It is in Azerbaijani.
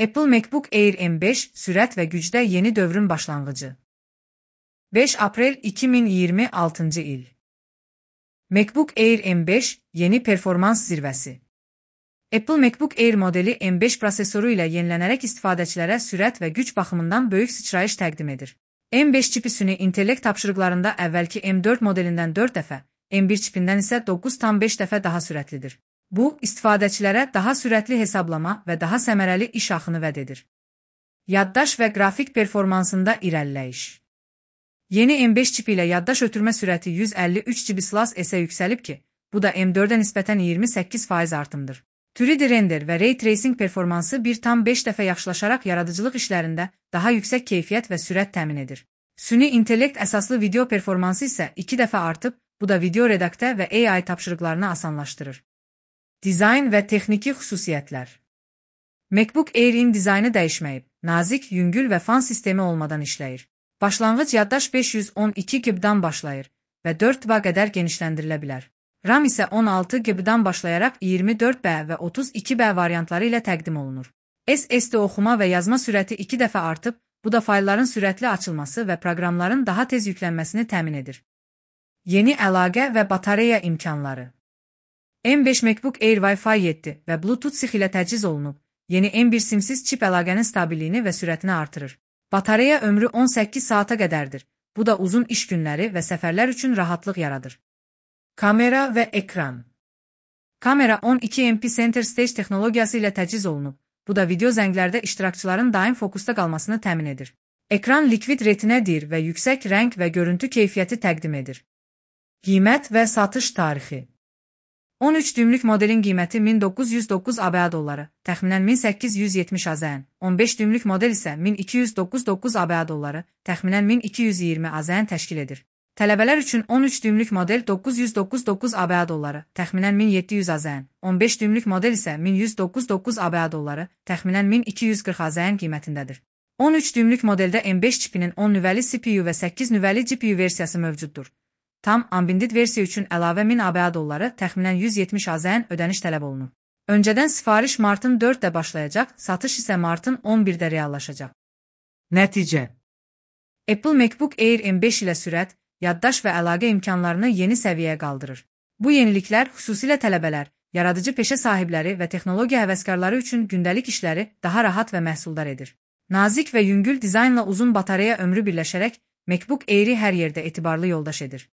Apple MacBook Air M5 sürət və gücdə yeni dövrün başlanğıcı. 5 aprel 2026 il. MacBook Air M5 yeni performans zirvəsi. Apple MacBook Air modeli M5 prosesoru ilə yenilənərək istifadəçilərə sürət və güc baxımından böyük sıçrayış təqdim edir. M5 çipi süni intellekt tapşırıqlarında əvvəlki M4 modelindən 4 dəfə, M1 çipindən isə 9,5 dəfə daha sürətlidir. Bu, istifadəçilərə daha sürətli hesablama və daha səmərəli iş axını vəd edir. Yaddaş və qrafik performansında irəliləyiş. Yeni M5 çipi ilə yaddaş ötürmə sürəti 153 GB/s-ə yüksəlib ki, bu da M4-ə nisbətən 28% artımdır. 3D render və ray tracing performansı 1,5 dəfə yaxşılaşaraq yaradıcılıq işlərində daha yüksək keyfiyyət və sürət təmin edir. Süni intellekt əsaslı video performansı isə 2 dəfə artıb, bu da video redaktə və AI tapşırıqlarını asanlaşdırır. Dizayn və texniki xüsusiyyətlər. MacBook Air-in dizaynı dəyişməyib, nazik, yüngül və fan sistemi olmadan işləyir. Başlanğıc yaddaş 512 GB-dan başlayır və 4 TB qədər genişləndirilə bilər. RAM isə 16 GB-dan başlayaraq 24 B və 32 B variantları ilə təqdim olunur. SSD oxuma və yazma sürəti 2 dəfə artıb, bu da faylların sürətli açılması və proqramların daha tez yüklənməsini təmin edir. Yeni əlaqə və batareya imkanları. M5 MacBook Air Wi-Fi 7 və Bluetooth 6 ilə təchiz olunub, yeni M1 simsiz çip əlaqənin stabiliyini və sürətini artırır. Batareya ömrü 18 saata qədərdir, bu da uzun iş günləri və səfərlər üçün rahatlıq yaradır. Kamera və ekran. Kamera 12 MP Center Stage texnologiyası ilə təchiz olunub, bu da video zənglərdə iştirakçıların daim fokusda qalmasını təmin edir. Ekran likvid retinədir və yüksək rəng və görüntü keyfiyyəti təqdim edir. Qiymət və satış tarixi. 13 düymlük modelin qiyməti 1909 ABA dolları, təxminən 1870 AZN. 15 düymlük model isə 1299 ABA dolları, təxminən 1220 AZN təşkil edir. Tələbələr üçün 13 düymlük model 999 ABA dolları, təxminən 1700 AZN. 15 düymlük model isə 1199 ABA dolları, təxminən 1240 AZN qiymətindədir. 13 düymlük modeldə M5 çipinin 10 nüvəli CPU və 8 nüvəli GPU versiyası mövcuddur. Tam ambindit versiya üçün əlavə 1000 ABA dolları, təxminən 170 AZN ödəniş tələb olunur. Öncədən sifariş martın 4-də başlayacaq, satış isə martın 11-də reallaşacaq. Nəticə. Apple MacBook Air M5 ilə sürət, yaddaş və əlaqə imkanlarını yeni səviyyəyə qaldırır. Bu yeniliklər xüsusilə tələbələr, yaradıcı peşə sahibləri və texnologiya həvəskarları üçün gündəlik işləri daha rahat və məhsuldar edir. Nazik və yüngül dizaynla uzun batareya ömrü birləşərək MacBook Air-i hər yerdə etibarlı yoldaş edir.